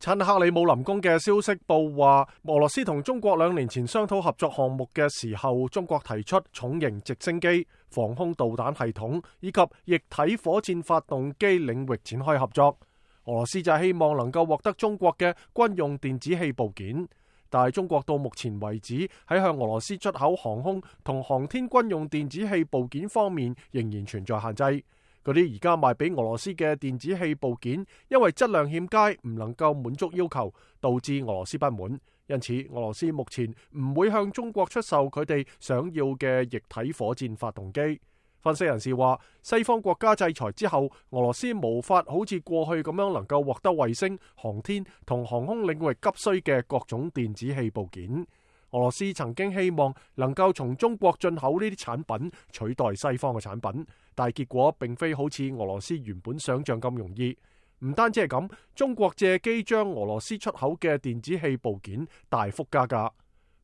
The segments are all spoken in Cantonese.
親克里姆林宮嘅消息報話，俄羅斯同中國2年前商討合作項目嘅時候，中國提出重型直升機、防空導彈系統以及液體火箭發動機領域展開合作。俄羅斯就希望能夠獲得中國嘅軍用電子器部件，但係中國到目前為止喺向俄羅斯出口航空同航天軍用電子器部件方面仍然存在限制。嗰啲而家賣俾俄羅斯嘅電子器部件，因為質量欠佳，唔能夠滿足要求，導致俄羅斯不滿。因此，俄羅斯目前唔會向中國出售佢哋想要嘅液體火箭發動機。分析人士話，西方國家制裁之後，俄羅斯無法好似過去咁樣能夠獲得衛星、航天同航空領域急需嘅各種電子器部件。俄羅斯曾經希望能夠從中國進口呢啲產品取代西方嘅產品，但係結果並非好似俄羅斯原本想象咁容易。唔單止係咁，中國借機將俄羅斯出口嘅電子器部件大幅加價。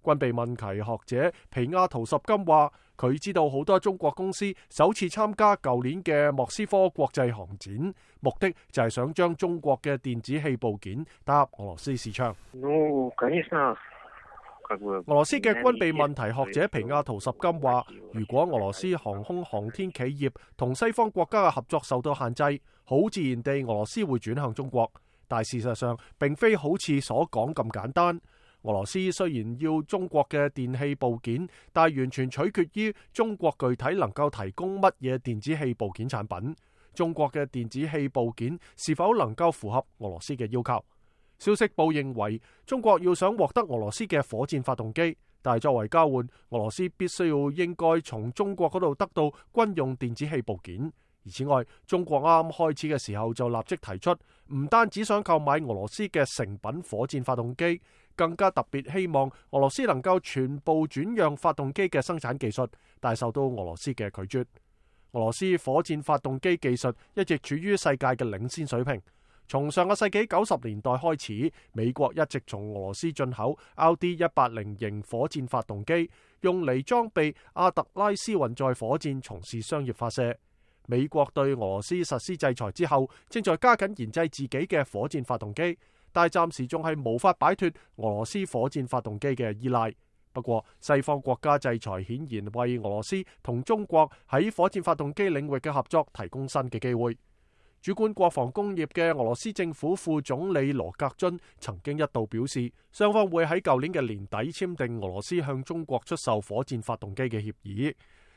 軍備問題學者皮亞圖什金話，佢知道好多中國公司首次參加舊年嘅莫斯科國際航展，目的就係想將中國嘅電子器部件打入俄羅斯市場。俄羅斯嘅軍備問題學者皮亞圖什金話，如果俄羅斯航空航天企業同西方國家嘅合作受到限制，好自然地俄羅斯會轉向中國。但事實上並非好似所講咁簡單。俄羅斯雖然要中國嘅電器部件，但係完全取決於中國具體能夠提供乜嘢電子器部件產品。中國嘅電子器部件是否能夠符合俄羅斯嘅要求？消息報認為，中國要想獲得俄羅斯嘅火箭發動機，但係作為交換，俄羅斯必須要應該從中國嗰度得到軍用電子器部件。而此外，中國啱啱開始嘅時候就立即提出，唔單止想購買俄羅斯嘅成品火箭發動機，更加特別希望俄羅斯能夠全部轉讓發動機嘅生產技術，但係受到俄羅斯嘅拒絕。俄羅斯火箭發動機技術一直處於世界嘅領先水平。從上個世紀90年代開始，美國一直從俄羅斯進口 RD-180型火箭發動機，用嚟裝備阿特拉斯運載火箭從事商業發射。美國對俄羅斯實施制裁之後，正在加緊研製自己嘅火箭發動機，但係暫時仲係無法擺脫俄羅斯火箭發動機嘅依賴。不過，西方國家制裁顯然為俄羅斯同中國喺火箭發動機領域嘅合作提供新嘅機會。主管國防工業嘅俄羅斯政府副總理羅格津曾經一度表示，雙方會喺舊年嘅年底簽訂俄羅斯向中國出售火箭發動機嘅協議。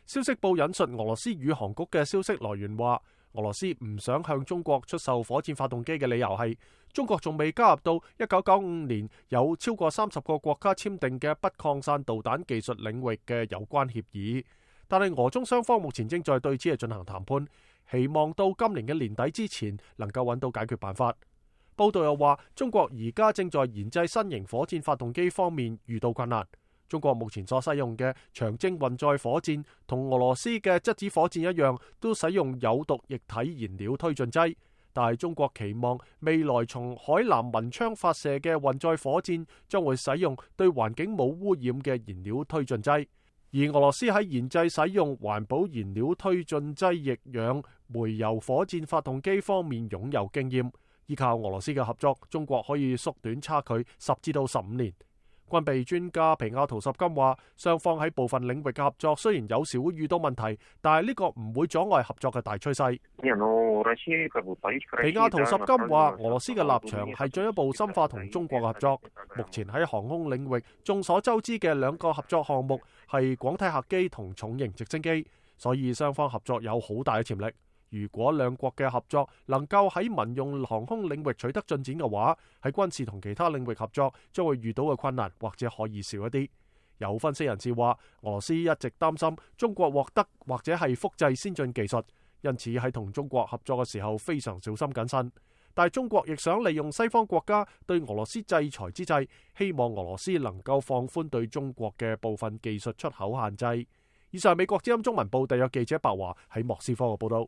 消息報引述俄羅斯宇航局嘅消息來源話，俄羅斯唔想向中國出售火箭發動機嘅理由係，中國仲未加入到1995年有超過30個國家簽訂嘅不擴散導彈技術領域嘅有關協議。但係俄中雙方目前正在對此進行談判，希望到今年嘅年底之前能夠揾到解決辦法。報道又話，中國而家正在研製新型火箭發動機方面遇到困難。中國目前所使用嘅長征運載火箭同俄羅斯嘅質子火箭一樣，都使用有毒液體燃料推進劑。但係中國期望未來從海南文昌發射嘅運載火箭將會使用對環境冇污染嘅燃料推進劑。而俄羅斯喺研製使用環保燃料推進劑液氧煤油火箭發動機方面擁有經驗，依靠俄羅斯嘅合作，中國可以縮短差距10至到15年。軍備專家皮亞圖什金話，雙方喺部分領域嘅合作雖然有時會遇到問題，但係呢個唔會阻礙合作嘅大趨勢。皮亞圖什金話，俄羅斯嘅立場係進一步深化同中國嘅合作。目前喺航空領域，眾所周知嘅2個合作項目係廣體客機同重型直升機，所以雙方合作有好大嘅潛力。如果兩國嘅合作能夠喺民用航空領域取得進展嘅話，喺軍事同其他領域合作將會遇到嘅困難或者可以少一啲。有分析人士話，俄羅斯一直擔心中國獲得或者係複製先進技術，因此喺同中國合作嘅時候非常小心謹慎。但係中國亦想利用西方國家對俄羅斯制裁之際，希望俄羅斯能夠放寬對中國嘅部分技術出口限制。以上係美國之音中文部特約記者白華喺莫斯科嘅報道。